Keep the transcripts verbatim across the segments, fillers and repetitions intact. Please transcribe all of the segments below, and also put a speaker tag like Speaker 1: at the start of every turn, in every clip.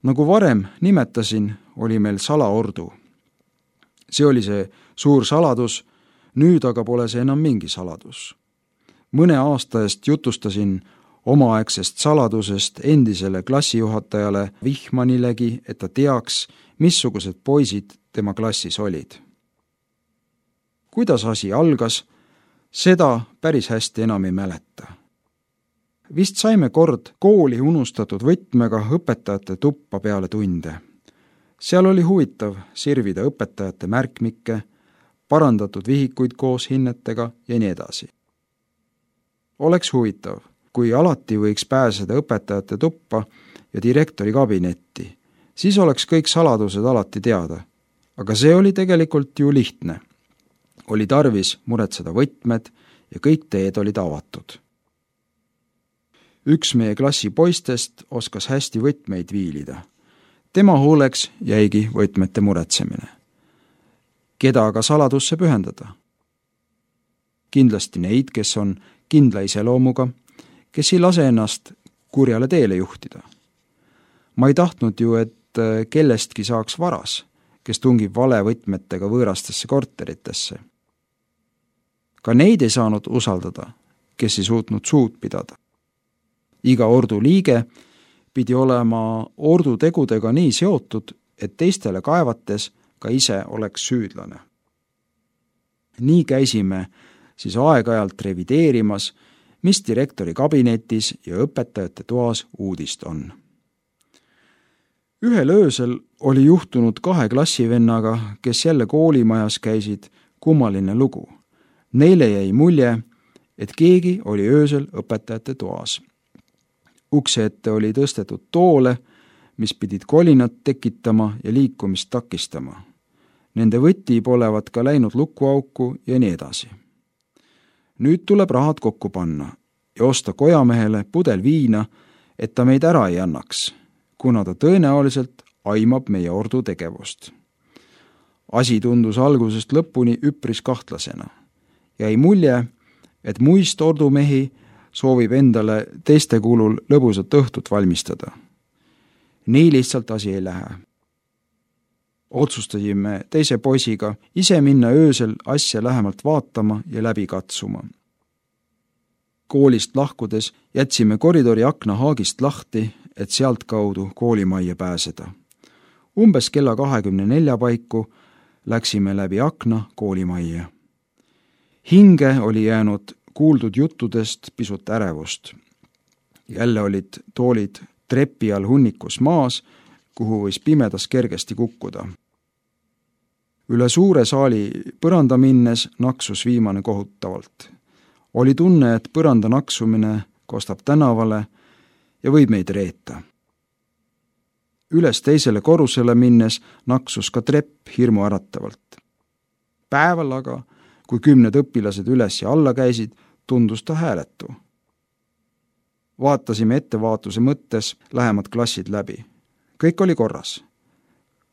Speaker 1: Nagu varem nimetasin, oli meil salaordu. See oli see suur saladus, nüüd aga pole see enam mingi saladus. Mõne aasta eest jutustasin omaaegsest saladusest endisele klassijuhatajale Vihmanilegi, et ta teaks, missugused poisid tema klassis olid. Kuidas asi algas, seda päris hästi enam ei mäleta. Vist saime kord kooli unustatud võtmega õpetajate tuppa peale tunde. Seal oli huvitav sirvida õpetajate märkmikke, parandatud vihikuid koos hinnetega ja nii edasi. Oleks huvitav, kui alati võiks pääseda õpetajate tuppa ja direktori kabinetti, siis oleks kõik saladused alati teada. Aga see oli tegelikult ju lihtne. Oli tarvis muretseda võtmed ja kõik teed olid avatud. Üks meie klassi poistest oskas hästi võtmeid viilida. Tema hooleks jäigi võtmete muretsemine. Keda aga saladusse pühendada? Kindlasti neid, kes on kindla iseloomuga, kes ei lase ennast kurjale teele juhtida. Ma ei tahtnud ju, et kellestki saaks varas, kes tungib vale võtmetega võõrastesse korteritesse. Ka neid ei saanud usaldada, kes ei suutnud suud pidada. Iga ordu liige pidi olema ordu tegudega nii seotud, et teistele kaevates ka ise oleks süüdlane. Nii käisime siis aeg-ajalt revideerimas, mis direktori kabinetis ja õpetajate toas uudist on. Ühel öösel oli juhtunud kahe klassivennaga, kes jälle koolimajas käisid, kummaline lugu. Neile jäi mulje, et keegi oli öösel õpetajate toas. Ukse ette oli tõstetud toole, mis pidid kolinat tekitama ja liikumist takistama. Nende võti polevat ka läinud lukuauku ja nii edasi. Nüüd tuleb rahad kokku panna ja osta kojamehele pudel viina, et ta meid ära ei annaks, kuna ta tõenäoliselt aimab meie ordu tegevust. Asi tundus algusest lõpuni üpris kahtlasena. Jäi mulje, et muist ordumehi soovib endale teiste kulul lõbusat õhtut valmistada. Nii lihtsalt asi ei lähe. Otsustasime teise poisiga ise minna öösel asja lähemalt vaatama ja läbi katsuma. Koolist lahkudes jätsime koridori akna haagist lahti, et sealt kaudu koolimajja pääseda. Umbes kella kahekümne nelja paiku läksime läbi akna koolimajja. Hinge oli jäänud kuuldud juttudest pisut ärevust. Jälle olid toolid trepi all hunnikus maas, kuhu võis pimedas kergesti kukkuda. Üle suure saali põranda minnes naksus viimane kohutavalt. Oli tunne, et põranda naksumine kostab tänavale ja võib meid reeta. Üles teisele korrusele minnes naksus ka trepp hirmu äratavalt. Päeval aga, kui kümned õpilased üles ja alla käisid, tundus ta hääletu. Vaatasime ettevaatuse mõttes lähemad klassid läbi. Kõik oli korras.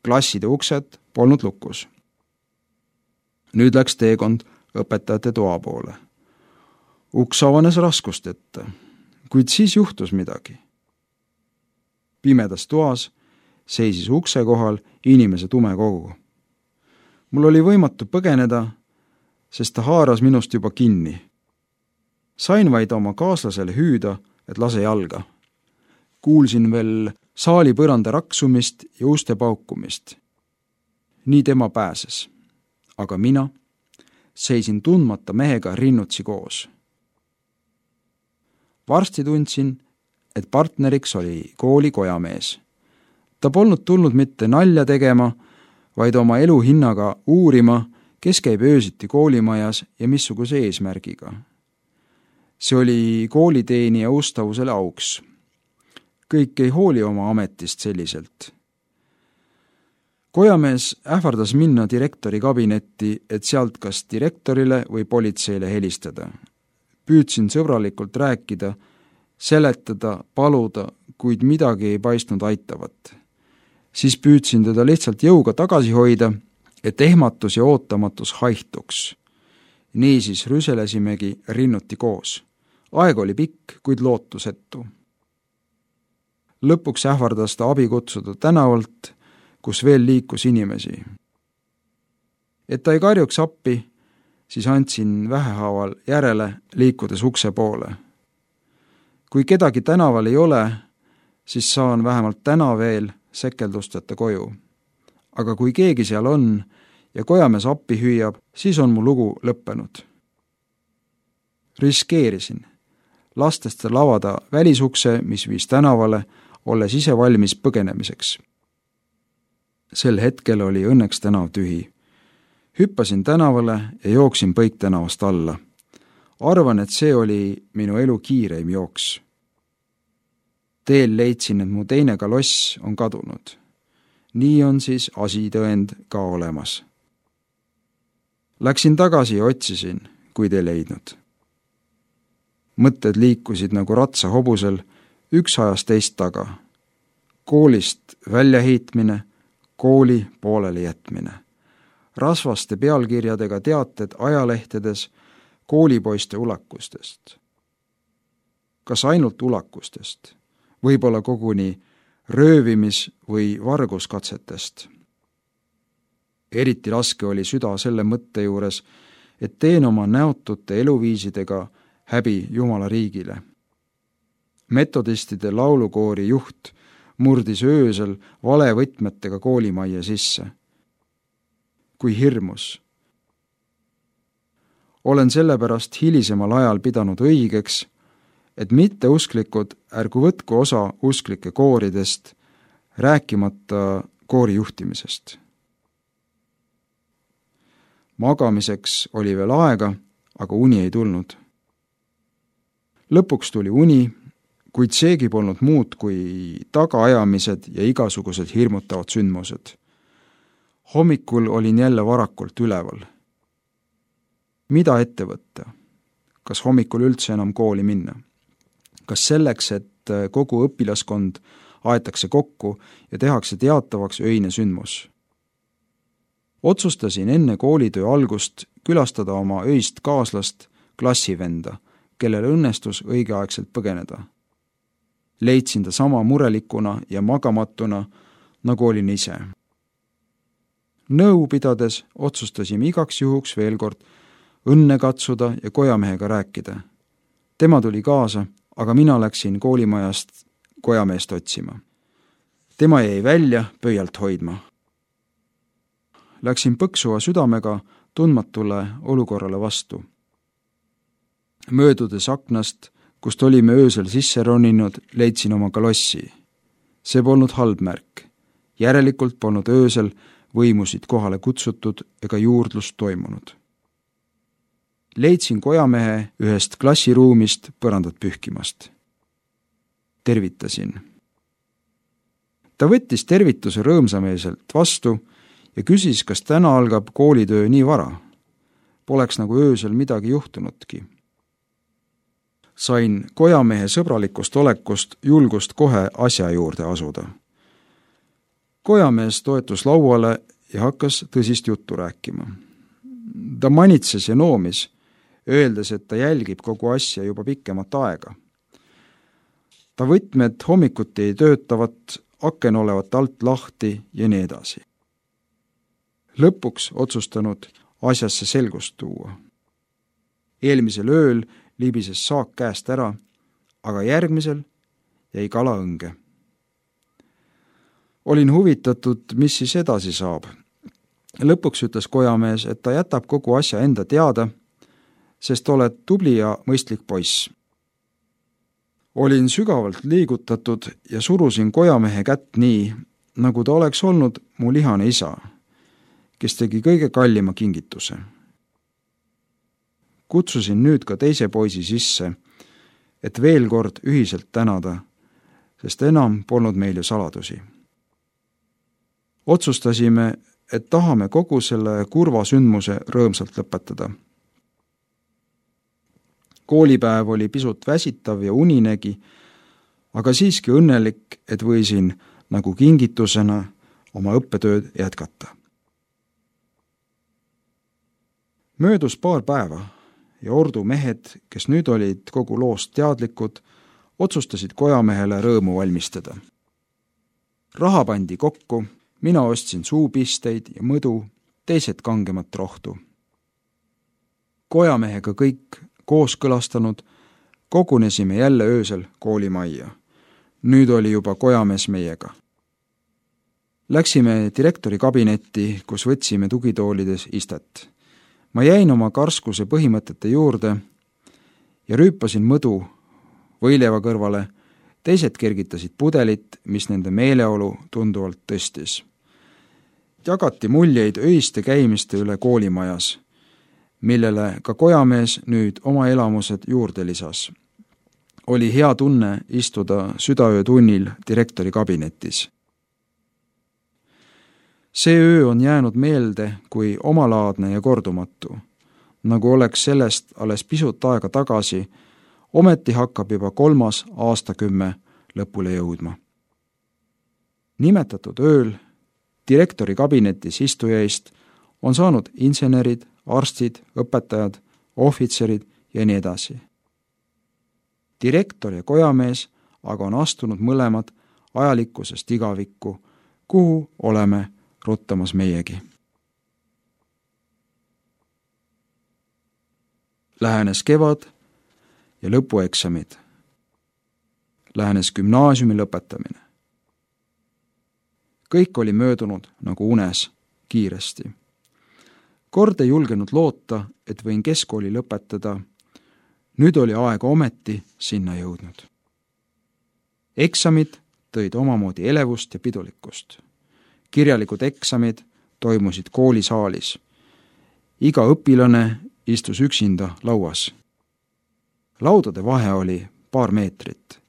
Speaker 1: Klasside uksed polnud lukus. Nüüd läks teekond õpetajate toa poole. Uks avanes raskust ette, kuid siis juhtus midagi. Pimedas toas seisis ukse kohal inimese tume kogu. Mul oli võimatu põgeneda, sest ta haaras minust juba kinni. Sain vaid oma kaaslasele hüüda, et lase jalga. Kuulsin veel saali põranda raksumist ja uste paukumist. Nii tema pääses. Aga mina seisin tundmata mehega rinnutsi koos. Varsti tundsin, et partneriks oli kooli kojamees. Ta polnud tulnud mitte nalja tegema, vaid oma elu hinnaga uurima, kes käib öösiti koolimajas ja missuguse eesmärgiga. See oli kooliteenija ustavusele auks. Kõik ei hooli oma ametist selliselt. Kojamees ähvardas minna direktori kabinetti, et sealt kas direktorile või politseile helistada. Püüdsin sõbralikult rääkida, seletada, paluda, kuid midagi ei paistnud aitavat. Siis püüdsin teda lihtsalt jõuga tagasi hoida, et ehmatus ja ootamatus haihtuks. Niisiis rüselesimegi rinnuti koos. Aeg oli pikk, kuid lootusetu. Lõpuks ähvardas ta abi kutsuda tänavalt, kus veel liikus inimesi. Et ta ei karjuks appi, siis andsin vähehaaval järele, liikudes ukse poole. Kui kedagi tänaval ei ole, siis saan vähemalt täna veel sekeldusteta koju. Aga kui keegi seal on ja kojamees appi hüüab, siis on mu lugu lõppenud. Riskeerisin, lastes tal avada välisukse, mis viis tänavale, olles ise valmis põgenemiseks. Sel hetkel oli õnneks tänav tühi. Hüppasin tänavale ja jooksin Põik tänavast alla. Arvan, et see oli minu elu kiireim jooks. Teel leidsin, et mu teine kaloss on kadunud. Nii on siis asitõend ka olemas. Läksin tagasi ja otsisin, kuid ei leidnud. Mõtted liikusid nagu ratsa hobusel, üks ajas teist taga. Koolist väljaheitmine, kooli pooleli jätmine. Rasvaste pealkirjadega teated ajalehtedes koolipoiste ulakustest. Kas ainult ulakustest? Võib-olla koguni röövimis- või varguskatsetest. Eriti raske oli süda selle mõtte juures, et teen oma näotute eluviisidega häbi Jumala riigile. Metodistide laulukoori juht murdis öösel valevõtmetega koolimajja sisse. Kui hirmus. Olen sellepärast hilisemal ajal pidanud õigeks, et mitteusklikud ärgu võtku osa usklike kooridest, rääkimata koori juhtimisest. Magamiseks oli veel aega, aga uni ei tulnud. Lõpuks tuli uni, kuid seegi polnud muud kui tagaajamised ja igasugused hirmutavad sündmused. Hommikul olin jälle varakult üleval. Mida ette võtta? Kas hommikul üldse enam kooli minna? Kas selleks, et kogu õpilaskond aetakse kokku ja tehakse teatavaks öine sündmus? Otsustasin enne koolitöö algust külastada oma öist kaaslast, klassivenda, kellel õnnestus õigeaegselt põgeneda. Leidsin ta sama murelikuna ja magamatuna, nagu olin ise. Nõu pidades otsustasime igaks juhuks veel kord õnne katsuda ja kojamehega rääkida. Tema tuli kaasa, aga mina läksin koolimajast kojameest otsima. Tema jäi välja pöialt hoidma. Läksin põksuva südamega tundmatule olukorrale vastu. Möödudes aknast, kust olime öösel sisse roninud, leidsin oma kalossi. See polnud halb märk. Järelikult polnud öösel võimusid kohale kutsutud ega juurdlust toimunud. Leidsin kojamehe ühest klassiruumist põrandat pühkimast. Tervitasin. Ta võttis tervituse rõõmsameelselt vastu ja küsis, kas täna algab koolitöö nii vara. Poleks nagu öösel midagi juhtunudki. Sain kojamehe sõbralikust olekust julgust kohe asja juurde asuda. Kojamees toetus lauale ja hakkas tõsist juttu rääkima. Ta manitses ja noomis, öeldes, et ta jälgib kogu asja juba pikemat aega. Ta võtmed hommikuti ei töötavat, aken olevat alt lahti ja nii edasi. Lõpuks otsustanud asjasse selgust tuua. Eelmisel ööl libises saak käest ära, aga järgmisel jäi kala õnge. Olin huvitatud, mis siis edasi saab. Lõpuks ütles kojamees, et ta jätab kogu asja enda teada, sest oled tubli ja mõistlik poiss. Olin sügavalt liigutatud ja surusin kojamehe kätt nii, nagu ta oleks olnud mu lihane isa, kes tegi kõige kallima kingituse. Kutsusin nüüd ka teise poisi sisse, et veel kord ühiselt tänada, sest enam polnud meil ju saladusi. Otsustasime, et tahame kogu selle kurva sündmuse rõõmsalt lõpetada. Koolipäev oli pisut väsitav ja uninegi, aga siiski õnnelik, et võisin nagu kingitusena oma õppetööd jätkata. Möödus paar päeva ja ordu mehed, kes nüüd olid kogu loost teadlikud, otsustasid kojamehele rõõmu valmistada. raha pandi kokku, mina ostsin suupisteid ja mõdu, teised kangemat rohtu. Kojamehega kõik kooskõlastanud, kogunesime jälle öösel koolimajja. Nüüd oli juba kojamees meiega. Läksime direktori kabinetti, kus võtsime tugitoolides istet. Ma jäin oma karskuse põhimõtete juurde ja rüüpasin mõdu võileiva kõrvale, teised kergitasid pudelit, mis nende meeleolu tunduvalt tõstis. Jagati muljeid öiste käimiste üle koolimajas, millele ka kojamees nüüd oma elamused juurde lisas. Oli hea tunne istuda südaöötunnil direktori kabinetis. See öö on jäänud meelde kui omalaadne ja kordumatu, nagu oleks sellest alles pisut aega tagasi, ometi hakkab juba kolmas aastakümme lõpule jõudma. Nimetatud ööl direktori kabinetis istujaist on saanud insenerid, arstid, õpetajad, ohvitserid ja nii edasi. Direktor ja kojamees aga on astunud mõlemad ajalikkusest igavikku, kuhu oleme ruttamas meiegi. Lähenes kevad ja lõpueksamid. Lähenes gümnaasiumi lõpetamine. Kõik oli möödunud nagu unes kiiresti. Kord ei julgenud loota, et võin keskkooli lõpetada. Nüüd oli aega ometi sinna jõudnud. Eksamid tõid omamoodi elevust ja pidulikkust. Kirjalikud eksamid toimusid koolisaalis. Iga õpilane istus üksinda lauas. Laudade vahe oli paar meetrit.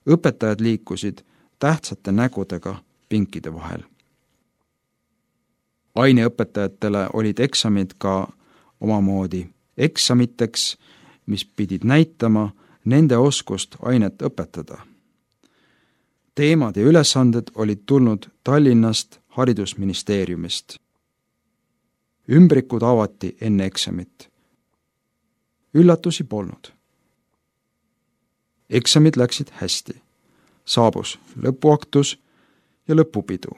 Speaker 1: Õpetajad liikusid tähtsate nägudega pinkide vahel. Aineõpetajatele olid eksamid ka omamoodi eksamiteks, mis pidid näitama nende oskust ainet õpetada. Teemad ja ülesanded olid tulnud Tallinnast haridusministeeriumist. Ümbrikud avati enne eksamit. Üllatusi polnud. Eksamid läksid hästi. Saabus lõpuaktus ja lõpupidu,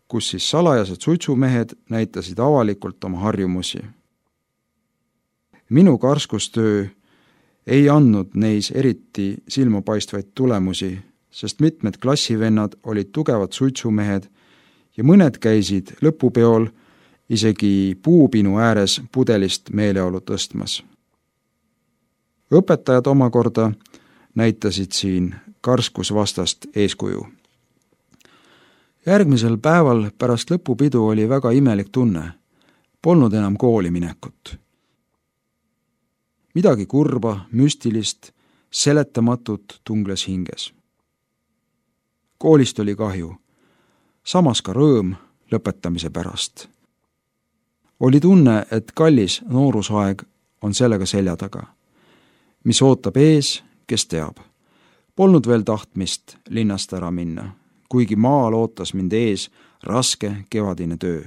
Speaker 1: kus siis salajased suitsumehed näitasid avalikult oma harjumusi. Minu karskustöö ei andnud neis eriti silmapaistvaid tulemusi, sest mitmed klassivennad olid tugevad suitsumehed ja mõned käisid lõpupeol isegi puupinu ääres pudelist meeleolu tõstmas. Õpetajad omakorda näitasid siin karskusvastast eeskuju. Järgmisel päeval pärast lõpupidu oli väga imelik tunne. Polnud enam kooli minekut. Midagi kurba, müstilist, seletamatut tungles hinges. Koolist oli kahju, samas ka rõõm lõpetamise pärast. Oli tunne, et kallis noorusaeg on sellega selja taga. Mis ootab ees, kes teab. Polnud veel tahtmist linnast ära minna, kuigi maal ootas mind ees raske kevadine töö.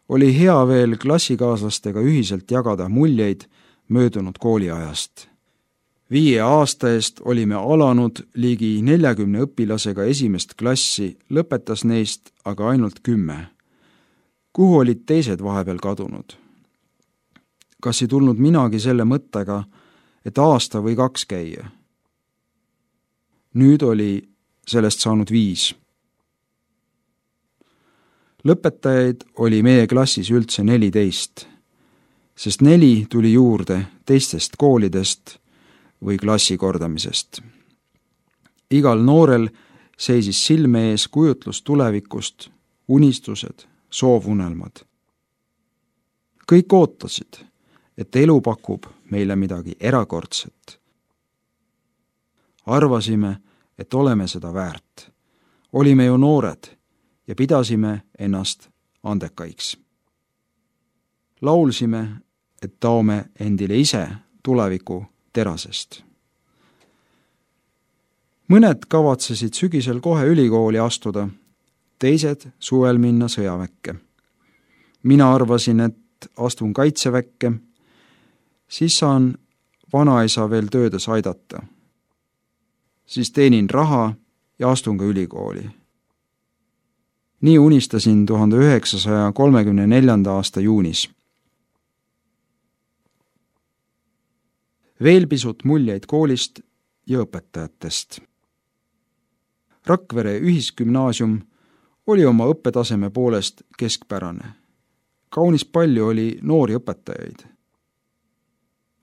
Speaker 1: Oli hea veel klassikaaslastega ühiselt jagada muljeid möödunud kooliajast. Viie aasta eest olime alanud ligi neljakümne õpilasega esimest klassi, lõpetas neist aga ainult kümme. Kuhu olid teised vahepeal kadunud? Kas ei tulnud minagi selle mõttega, et aasta või kaks käia? Nüüd oli sellest saanud viis. Lõpetajaid oli meie klassis üldse neliteist, sest neli tuli juurde teistest koolidest või klassi kordamisest. Igal noorel seisis silme ees kujutlus tulevikust, unistused, soovunelmad. Kõik ootasid, et elu pakub meile midagi erakordset. Arvasime, et oleme seda väärt. Olime ju noored ja pidasime ennast andekaiks. Laulsime, et taome endile ise tuleviku terasest. Mõned kavatsesid sügisel kohe ülikooli astuda, teised suvel minna sõjaväkke. Mina arvasin, et astun kaitseväkke, siis saan vanaisa veel töödes aidata. Siis teenin raha ja astun ka ülikooli. Nii unistasin tuhande üheksasaja kolmekümne neljanda aasta juunis. Veel pisut muljeid koolist ja õpetajatest. Rakvere ühisgümnaasium oli oma õppetaseme poolest keskpärane. Kaunis palju oli noori õpetajaid.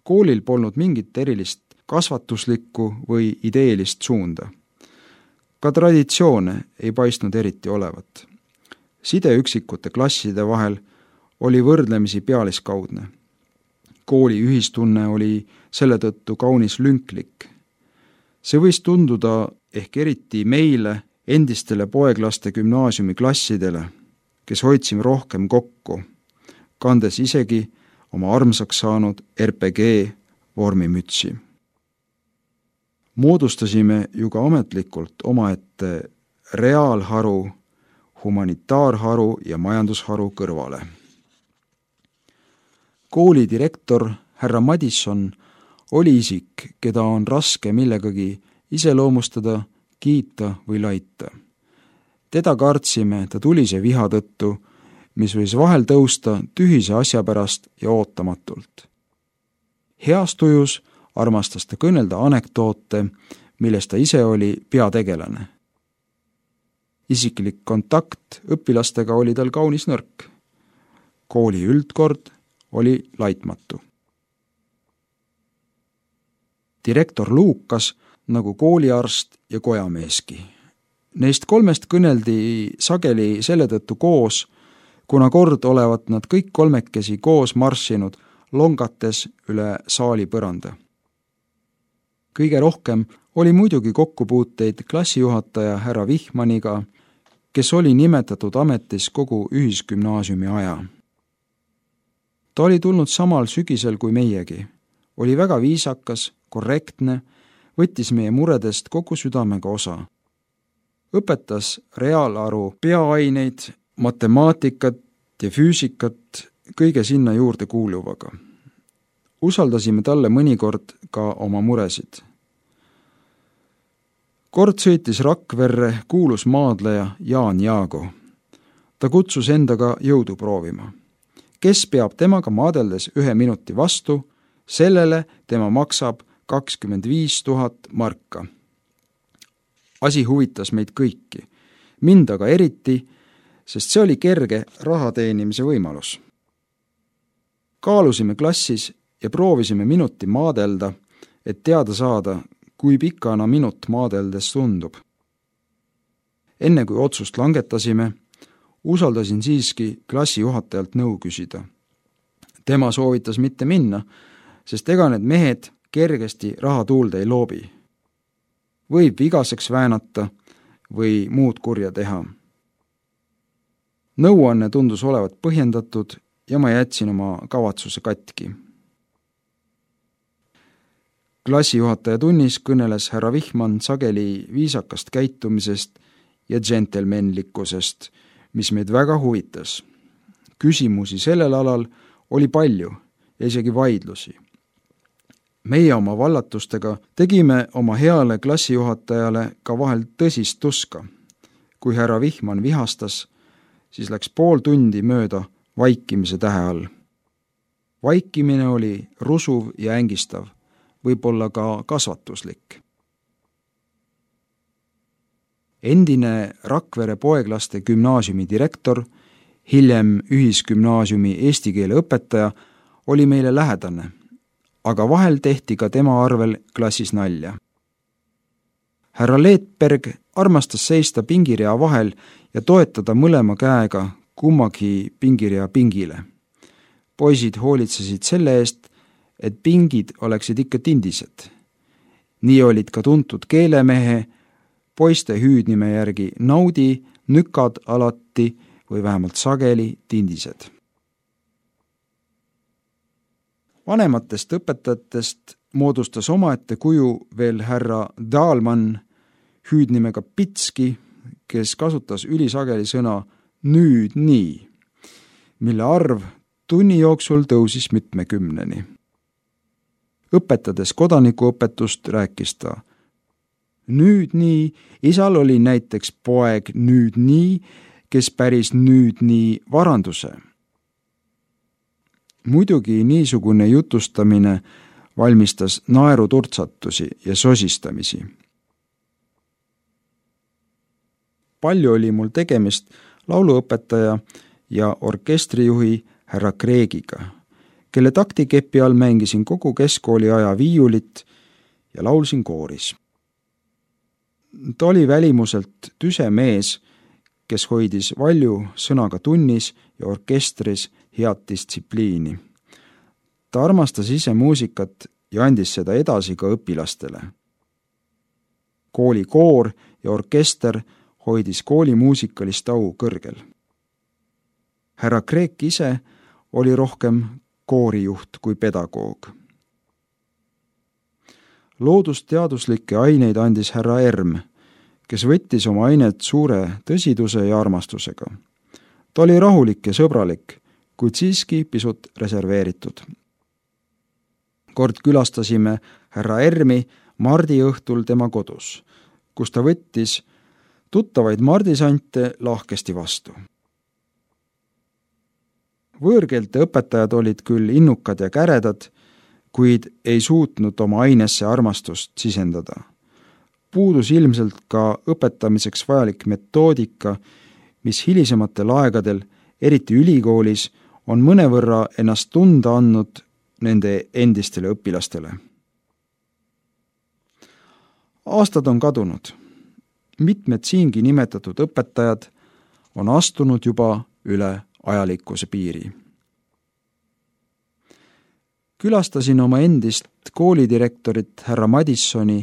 Speaker 1: Koolil polnud mingit erilist kasvatuslikku või ideelist suunda. Ka traditsioone ei paistnud eriti olevat. Side üksikute klasside vahel oli võrdlemisi pealiskaudne. Kooli ühistunne oli selle tõttu kaunis lünklik. See võis tunduda ehk eriti meile, endistele poeglaste gümnaasiumi klassidele, kes hoidsime rohkem kokku, kandes isegi oma armsaks saanud R P G vormimütsi. Moodustasime ju ka ametlikult omaette reaalharu, humanitaarharu ja majandusharu kõrvale. Kooli direktor härra Madisson oli isik, keda on raske millegagi iseloomustada, kiita või laita. Teda kartsime ta tulise viha tõttu, mis võis vahel tõusta tühise asja pärast ja ootamatult. Heas tujus armastas ta kõnelda anekdoote, millest ta ise oli peategelane. Isiklik kontakt õpilastega oli tal kaunis nõrk. Kooli üldkord oli laitmatu. Direktor Luukas nagu kooliarst ja kojameeski. Neist kolmest kõneldi sageli selle tõttu koos, kuna kord olevat nad kõik kolmekesi koos marssinud longates üle saali põranda. Kõige rohkem oli muidugi kokkupuuteid klassijuhataja härra Vihmaniga, kes oli nimetatud ametis kogu ühisgümnaasiumi aja. Ta oli tulnud samal sügisel kui meiegi, oli väga viisakas, korrektne, võttis meie muredest kogu südamega osa. Õpetas reaalaru peaaineid, matemaatikat ja füüsikat kõige sinna juurde kuuluvaga. Usaldasime talle mõnikord ka oma muresid. Kord sõitis Rakverre kuulus maadleja Jaan Jaago. Ta kutsus endaga jõudu proovima. Kes peab temaga maadeldes ühe minuti vastu, sellele tema maksab kakskümmend viis tuhat marka. Asi huvitas meid kõiki, mind aga eriti, sest see oli kerge raha teenimise võimalus. Kaalusime klassis ja proovisime minuti maadelda, et teada saada, kui pikana minut maadeldes tundub. Enne kui otsust langetasime, usaldasin siiski klassijuhatajalt nõu küsida. Tema soovitas mitte minna, sest ega need mehed kergesti raha tuulde ei loobi. Võib vigaseks väänata või muud kurja teha. Nõuanne tundus olevat põhjendatud ja ma jätsin oma kavatsuse katki. Klassijuhataja tunnis kõneles härra Vihman sageli viisakast käitumisest ja džentelmenlikkusest, mis meid väga huvitas. Küsimusi sellel alal oli palju ja isegi vaidlusi. Meie oma vallatustega tegime oma heale klassijuhatajale ka vahel tõsist tuska. Kui härra Vihman vihastas, siis läks pool tundi mööda vaikimise tähe all. Vaikimine oli rusuv ja ängistav, võib-olla ka kasvatuslik. Endine Rakvere poeglaste gümnaasiumi direktor, hiljem ühisgümnaasiumi eesti keele õpetaja, oli meile lähedane, aga vahel tehti ka tema arvel klassis nalja. Härra Leetberg armastas seista pingirea vahel ja toetada mõlema käega kummagi pingirea pingile. Poisid hoolitsesid selle eest, et pingid oleksid ikka tindised. Nii olid ka tuntud keelemehe, poiste hüüdnime järgi naudi, nükad alati või vähemalt sageli tindised. Vanematest õpetajatest moodustas omaette kuju veel härra Dahlmann, hüüdnimega Pitski, kes kasutas ülisageli sõna nüüd nii, mille arv tunni jooksul tõusis mitmekümneni. Õpetades kodanikuõpetust rääkis ta nüüd nii, isal oli näiteks poeg nüüd nii, kes päris nüüd nii varanduse. Muidugi niisugune jutustamine valmistas naeruturtsatusi ja sosistamisi. Palju oli mul tegemist lauluõpetaja ja orkestrijuhi härra Kreegiga, kelle taktikepi all mängisin kogu keskkooli aja viiulit ja laulsin kooris. Ta oli välimuselt tüse mees, kes hoidis valju sõnaga tunnis ja orkestris head distsipliini. Ta armastas ise muusikat ja andis seda edasi ka õpilastele. Kooli koor ja orkester hoidis kooli muusikalist au kõrgel. Härra Kreek ise oli rohkem koorijuht kui pedagoog. Loodusteaduslikke aineid andis härra Erm, kes võttis oma ainet suure tõsiduse ja armastusega. Ta oli rahulik ja sõbralik, kuid siiski pisut reserveeritud. Kord külastasime härra Ermi mardi õhtul tema kodus, kus ta võttis tuttavaid mardisante lahkesti vastu. Võõrkeelte õpetajad olid küll innukad ja käredad, kuid ei suutnud oma ainesse armastust sisendada. Puudus ilmselt ka õpetamiseks vajalik metoodika, mis hilisematel aegadel, eriti ülikoolis, on mõnevõrra ennast tunda andnud nende endistele õpilastele. Aastad on kadunud. Mitmed siingi nimetatud õpetajad on astunud juba üle ajalikkuse piiri. Külastasin oma endist koolidirektorit härra Madissoni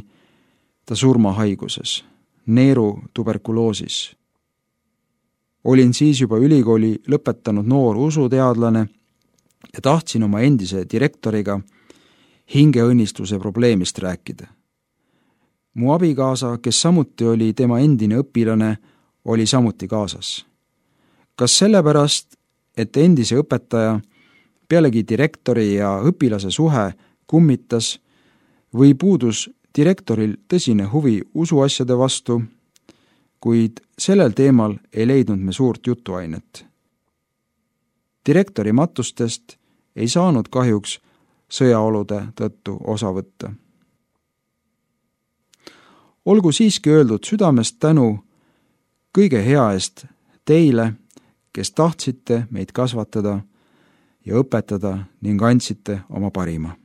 Speaker 1: ta surmahaiguses, neeru tuberkuloosis. Olin siis juba ülikooli lõpetanud noor usuteadlane ja tahtsin oma endise direktoriga hingeõnnistuse probleemist rääkida. Mu abikaasa, kes samuti oli tema endine õpilane, oli samuti kaasas. Kas sellepärast, et endise õpetaja pealegi direktori ja õpilase suhe kummitas või puudus direktoril tõsine huvi usuasjade vastu, kuid sellel teemal ei leidnud me suurt jutuainet. Direktori matustest ei saanud kahjuks sõjaolude tõttu osa võtta. Olgu siiski öeldud südamest tänu kõige hea eest teile, kes tahtsite meid kasvatada ja õpetada ning andsite oma parima.